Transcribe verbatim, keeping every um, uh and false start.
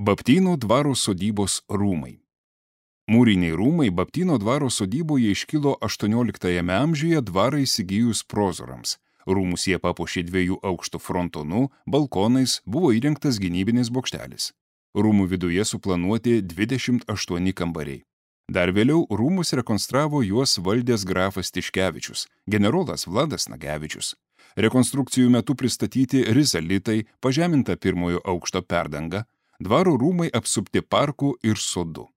Baptyno dvaro sodybos rūmai. Mūriniai rūmai Baptyno dvaro sodyboje iškilo aštuonioliktajame amžiuje dvarą įsigijus prozorams. Rūmus jie papuošė dviejų aukštų frontonu, balkonais, buvo įrengtas gynybinis bokštelis. Rūmų viduje suplanuoti dvidešimt aštuoni kambariai. Dar vėliau rūmus rekonstravo juos valdęs grafas Tiškevičius, generolas Vladas Nagevičius. Rekonstrukcijų metu pristatyti rizalitai, pažeminta pirmojo aukšto perdanga, dvaro rūmai apsupti parku ir sodu.